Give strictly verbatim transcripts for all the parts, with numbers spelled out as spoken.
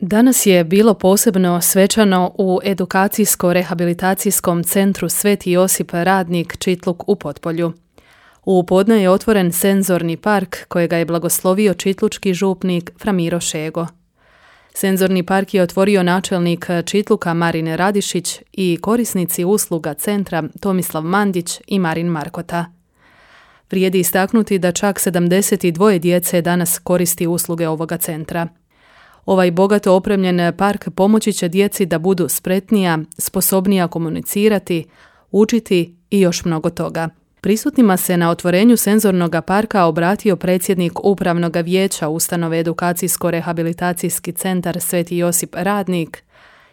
Danas je bilo posebno svečano u edukacijsko-rehabilitacijskom centru Sveti Josip Radnik Čitluk u Potpolju. U podne je otvoren senzorni park kojega je blagoslovio čitlučki župnik Fra Miro Šego. Senzorni park je otvorio načelnik Čitluka Marin Radišić i korisnici usluga centra Tomislav Mandić i Marin Markota. Vrijedi istaknuti da čak sedamdeset dvije djece danas koristi usluge ovoga centra. Ovaj bogato opremljen park pomoći će djeci da budu spretnija, sposobnija komunicirati, učiti i još mnogo toga. Prisutnima se na otvorenju senzornog parka obratio predsjednik Upravnog vijeća ustanove Edukacijsko-rehabilitacijski centar Sveti Josip Radnik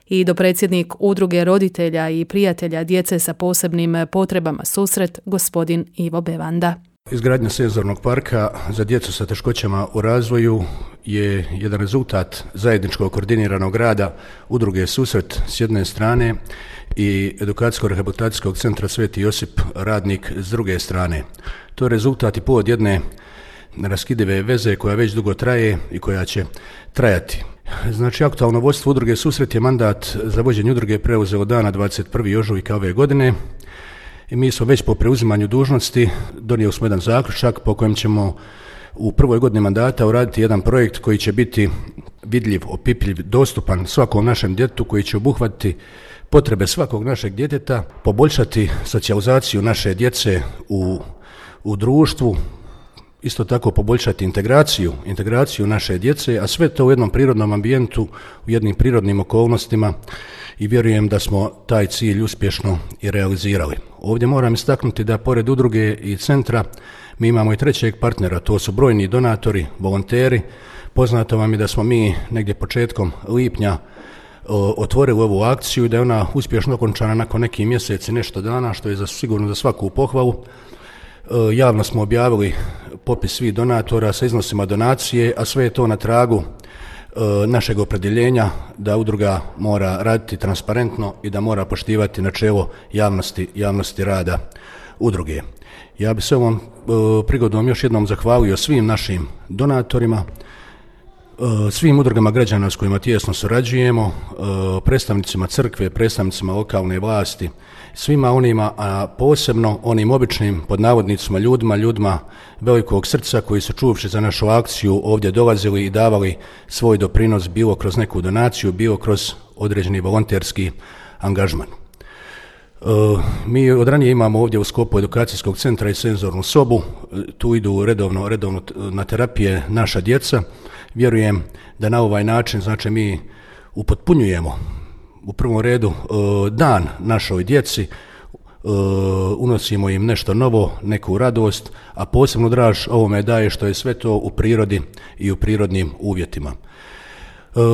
i dopredsjednik Udruge roditelja i prijatelja djece sa posebnim potrebama Susret, gospodin Ivo Bevanda. Izgradnja senzornog parka za djecu sa teškoćama u razvoju je jedan rezultat zajedničkog koordiniranog rada Udruge Susret s jedne strane i Edukacijsko-rehabilitacijskog centra Sveti Josip Radnik s druge strane. To je rezultat i povod jedne neraskidive veze koja već dugo traje i koja će trajati. Znači, aktualno vodstvo Udruge Susret je mandat za vođenje udruge preuzelo dana dvadeset prvog ožujka ove godine. I mi smo već po preuzimanju dužnosti donijeli smo jedan zaključak po kojem ćemo u prvoj godini mandata uraditi jedan projekt koji će biti vidljiv, opipljiv, dostupan svakom našem djetetu, koji će obuhvatiti potrebe svakog našeg djeteta, poboljšati socijalizaciju naše djece u, u društvu, isto tako poboljšati integraciju, integraciju naše djece, a sve to u jednom prirodnom ambijentu, u jednim prirodnim okolnostima i vjerujem da smo taj cilj uspješno i realizirali. Ovdje moram istaknuti da pored udruge i centra mi imamo i trećeg partnera, to su brojni donatori, volonteri. Poznato vam je da smo mi negdje početkom lipnja otvorili ovu akciju i da je ona uspješno okončana nakon nekih mjeseci, nešto dana, što je za, sigurno za svaku pohvalu. Javno smo objavili popis svih donatora sa iznosima donacije, a sve je to na tragu našeg opredjeljenja da udruga mora raditi transparentno i da mora poštivati načelo javnosti, javnosti rada udruge. Ja bih se ovom prigodom još jednom zahvalio svim našim donatorima, svim udrugama građana s kojima tijesno surađujemo, predstavnicima crkve, predstavnicima lokalne vlasti, svima onima, a posebno onim običnim pod navodnicima ljudima, ljudima velikog srca koji su čuvši za našu akciju ovdje dolazili i davali svoj doprinos bilo kroz neku donaciju, bilo kroz određeni volonterski angažman. Mi od ranije imamo ovdje u sklopu edukacijskog centra i senzornu sobu, tu idu redovno, redovno na terapije naša djeca. Vjerujem da na ovaj način, znači, mi upotpunjujemo u prvom redu dan našoj djeci, unosimo im nešto novo, neku radost, a posebno draž ovome daje što je sve to u prirodi i u prirodnim uvjetima.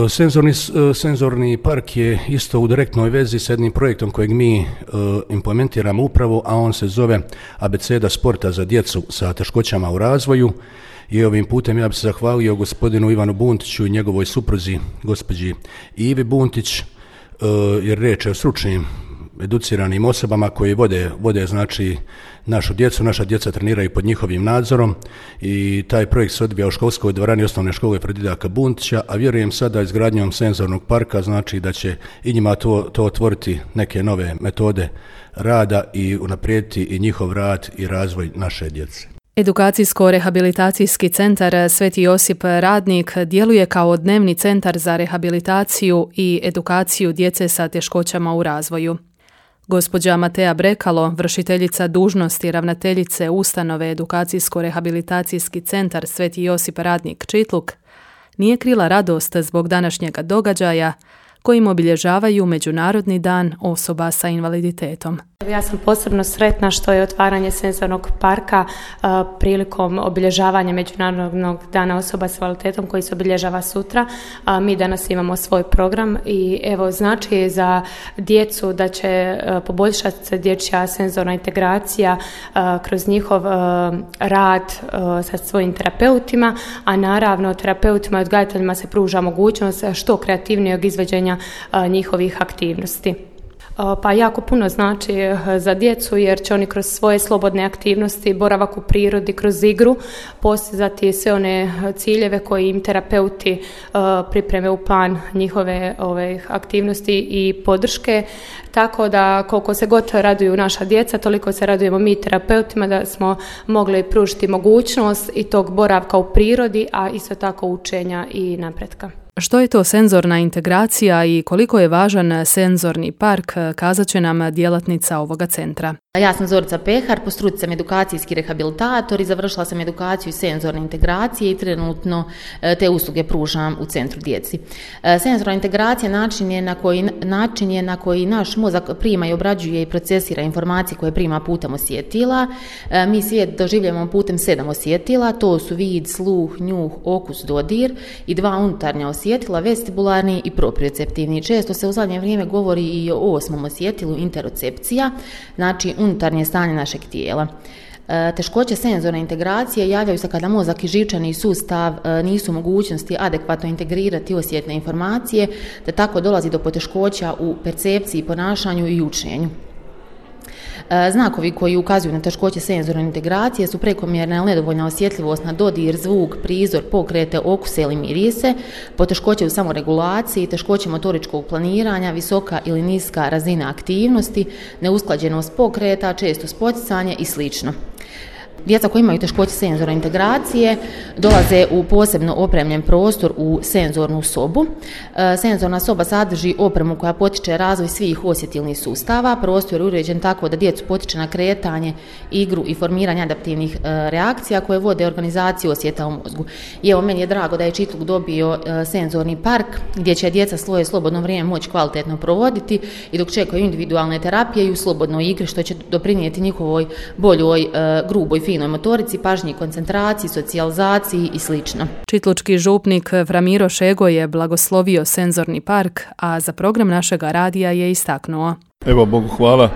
Senzorni, senzorni park je isto u direktnoj vezi s jednim projektom kojeg mi implementiramo upravo, a on se zove Abeceda sporta za djecu sa teškoćama u razvoju. I ovim putem ja bih se zahvalio gospodinu Ivanu Buntiću i njegovoj supruzi, gospođi Ivi Buntić, jer riječ je o stručnim, educiranim osobama koji vode, vode znači našu djecu. Naša djeca treniraju pod njihovim nadzorom i taj projekt se odvija u školskoj dvorani osnovne škole Fredidaka Buntića, a vjerujem sada izgradnjom senzornog parka znači da će i njima to, to otvoriti neke nove metode rada i unaprijediti i njihov rad i razvoj naše djece. Edukacijsko-rehabilitacijski centar Sveti Josip Radnik djeluje kao dnevni centar za rehabilitaciju i edukaciju djece sa teškoćama u razvoju. Gospođa Matea Brekalo, vršiteljica dužnosti ravnateljice ustanove Edukacijsko-rehabilitacijski centar Sveti Josip Radnik Čitluk, nije krila radost zbog današnjega događaja kojim obilježavaju Međunarodni dan osoba sa invaliditetom. Ja sam posebno sretna što je otvaranje senzornog parka uh, prilikom obilježavanja Međunarodnog dana osoba s invaliditetom koji se obilježava sutra. Uh, mi danas imamo svoj program i evo znači za djecu da će uh, poboljšati se dječja senzorna integracija uh, kroz njihov uh, rad uh, sa svojim terapeutima, a naravno terapeutima i odgajateljima se pruža mogućnost što kreativnijeg izvođenja uh, njihovih aktivnosti. Pa jako puno znači za djecu jer će oni kroz svoje slobodne aktivnosti, boravak u prirodi, kroz igru postizati sve one ciljeve koje im terapeuti pripreme u plan njihove ove aktivnosti i podrške. Tako da koliko se god raduju naša djeca, toliko se radujemo mi terapeutima da smo mogli pružiti mogućnost i tog boravka u prirodi, a isto tako učenja i napretka. Što je to senzorna integracija i koliko je važan senzorni park, kazat će nam djelatnica ovoga centra. Ja sam Zorica Pehar, po struci sam edukacijski rehabilitator i završila sam edukaciju senzorne integracije i trenutno te usluge pružam u centru djeci. Senzorna integracija način je na koji, način je na koji naš mozak prima i obrađuje i procesira informacije koje prima putem osjetila. Mi svijet doživljavamo putem sedam osjetila, to su vid, sluh, njuh, okus, dodir i dva unutarnja osjetila, vestibularni i proprioceptivni. Često se u zadnje vrijeme govori i o osmom osjetilu, interocepcija, znači unutarnje stanje našeg tijela. Teškoće senzorne integracije javljaju se kada mozak i živčani sustav nisu u mogućnosti adekvatno integrirati osjetne informacije, te tako dolazi do poteškoća u percepciji, ponašanju i učenju. Znakovi koji ukazuju na teškoće senzorne integracije su prekomjerna ili nedovoljna osjetljivost na dodir, zvuk, prizor, pokrete, okuse ili mirise, poteškoće u samoregulaciji, teškoće motoričkog planiranja, visoka ili niska razina aktivnosti, neusklađenost pokreta, često spoticanje i slično. Djeca koji imaju teškoće senzorne integracije dolaze u posebno opremljen prostor u senzornu sobu. Senzorna soba sadrži opremu koja potiče razvoj svih osjetilnih sustava. Prostor je uređen tako da djecu potiče na kretanje, igru i formiranje adaptivnih reakcija koje vode organizaciju osjeta u mozgu. I evo, meni je drago da je Čitluk dobio senzorni park gdje će djeca svoje slobodno vrijeme moći kvalitetno provoditi i dok čekaju individualne terapije i u slobodnoj igri, što će doprinijeti njihovoj boljoj, gruboj, finoj motorici, pažnji, koncentraciji, socijalizaciji i slično. Čitlučki župnik Framiro Šego je blagoslovio senzorni park, a za program našega radija je istaknuo. Evo, Bogu hvala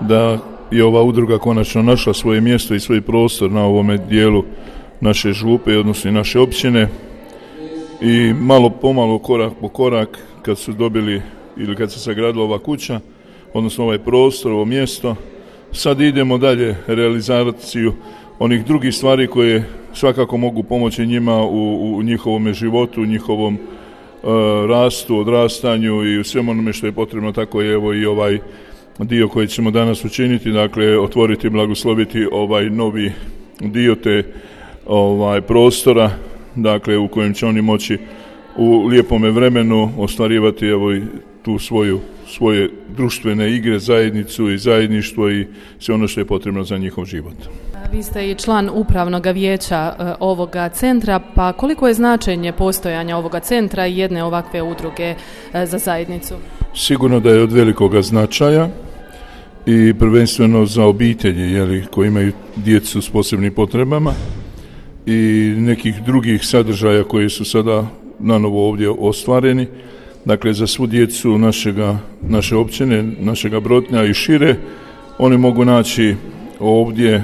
da je ova udruga konačno našla svoje mjesto i svoj prostor na ovome dijelu naše župe, odnosno naše općine, i malo pomalo, korak po korak, kad su dobili ili kad se sagradila ova kuća, odnosno ovaj prostor, ovo mjesto, sad idemo dalje realizaciju onih drugih stvari koje svakako mogu pomoći njima u, u njihovom životu, u njihovom uh, rastu, odrastanju i u svemu onome što je potrebno. Tako je evo i ovaj dio koji ćemo danas učiniti, dakle otvoriti, blagosloviti ovaj novi dio te ovaj prostora, dakle u kojem će oni moći u lijepome vremenu ostvarivati evo i tu svoju svoje društvene igre, zajednicu i zajedništvo i sve ono što je potrebno za njihov život. Vi ste i član upravnog vijeća ovoga centra, pa koliko je značenje postojanja ovoga centra i jedne ovakve udruge za zajednicu? Sigurno da je od velikoga značaja i prvenstveno za obitelji, jeli, koji imaju djecu s posebnim potrebama i nekih drugih sadržaja koji su sada nanovo ovdje ostvareni. Dakle, za svu djecu našega, naše općine, našega Brotnja i šire, oni mogu naći ovdje e,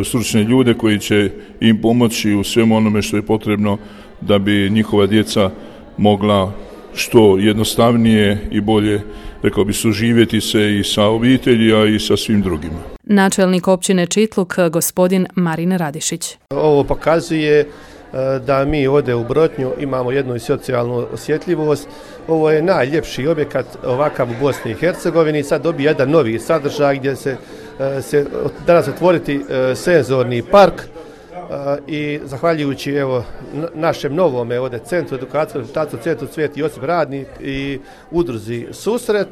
stručne ljude koji će im pomoći u svemu onome što je potrebno da bi njihova djeca mogla što jednostavnije i bolje, rekao bi, suživjeti se i sa obitelji, a i sa svim drugima. Načelnik općine Čitluk, gospodin Marin Radišić. Ovo pokazuje da mi ovdje u Brotnju imamo jednu socijalnu osjetljivost. Ovo je najljepši objekat ovakav u Bosni i Hercegovini. Sad dobije jedan novi sadržaj gdje se, se danas otvoriti senzorni park i zahvaljujući evo našem novome ovdje centru edukacije, centru Sveti Josip Radnik i udruzi Susret,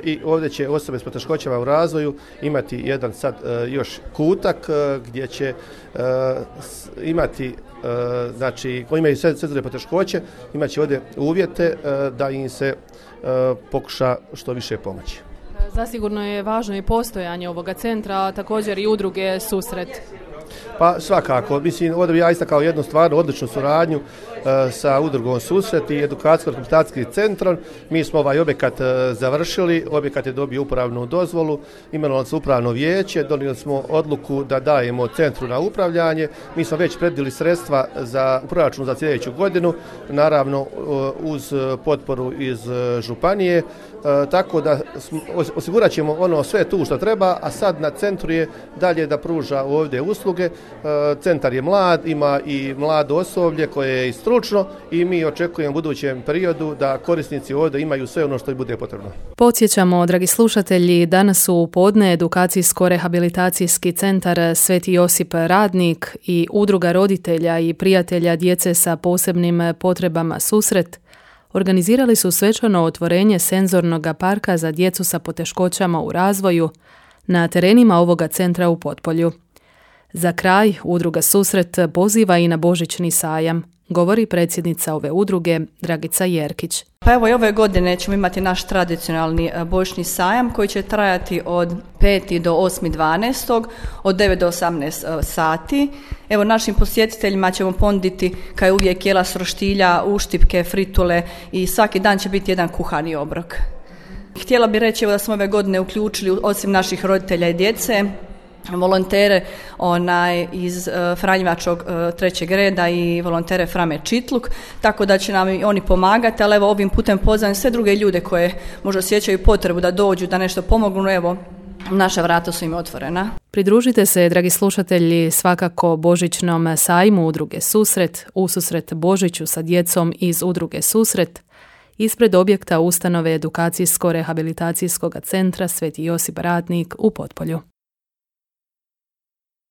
i ovdje će osobe s poteškoćama u razvoju imati jedan sad još kutak gdje će imati, znači koji imaju senzorne poteškoće, imat će ovdje uvjete da im se pokuša što više pomoći. Zasigurno je važno i postojanje ovoga centra, a također i udruge Susret. Pa svakako, mislim, ovdje bi ja istakao jednu stvarno odličnu suradnju sa udrugom Susret i edukacijsko-rehabilitacijskim centrom. Mi smo ovaj objekat završili, objekat je dobio upravnu dozvolu, imenovali smo upravno vijeće, donijeli smo odluku da dajemo centru na upravljanje. Mi smo već predvidjeli sredstva za proračun za sljedeću godinu, naravno uz potporu iz županije, tako da osigurat ćemo ono sve tu što treba, a sad na centru je dalje da pruža ovdje usluge. Centar je mlad, ima i mlado osoblje koje je i stručno i mi očekujemo u budućem periodu da korisnici ovdje imaju sve ono što im bude potrebno. Podsjećamo, dragi slušatelji, danas su u podne edukacijsko-rehabilitacijski centar Sveti Josip Radnik i Udruga roditelja i prijatelja djece sa posebnim potrebama Susret organizirali su svečano otvorenje senzornog parka za djecu sa poteškoćama u razvoju na terenima ovoga centra u Potpolju. Za kraj, Udruga Susret poziva i na Božićni sajam, govori predsjednica ove udruge Dragica Jerkić. Pa evo i ove godine ćemo imati naš tradicionalni božićni sajam koji će trajati od petog do osmog dvanaestog od devet do osamnaest sati. Evo našim posjetiteljima ćemo ponuditi kao je uvijek jela s roštilja, uštipke, fritule i svaki dan će biti jedan kuhani obrok. Htjela bih reći evo da smo ove godine uključili osim naših roditelja i djece volontere onaj iz uh, Franjevačkog uh, trećeg reda i volontere Frame Čitluk, tako da će nam i oni pomagati, ali evo ovim putem pozivam sve druge ljude koje možda osjećaju potrebu da dođu, da nešto pomognu, evo naša vrata su im otvorena. Pridružite se, dragi slušatelji, svakako Božićnom sajmu Udruge Susret, ususret Božiću sa djecom iz Udruge Susret, ispred objekta ustanove edukacijsko-rehabilitacijskog centra Sveti Josip Radnik u Potpolju.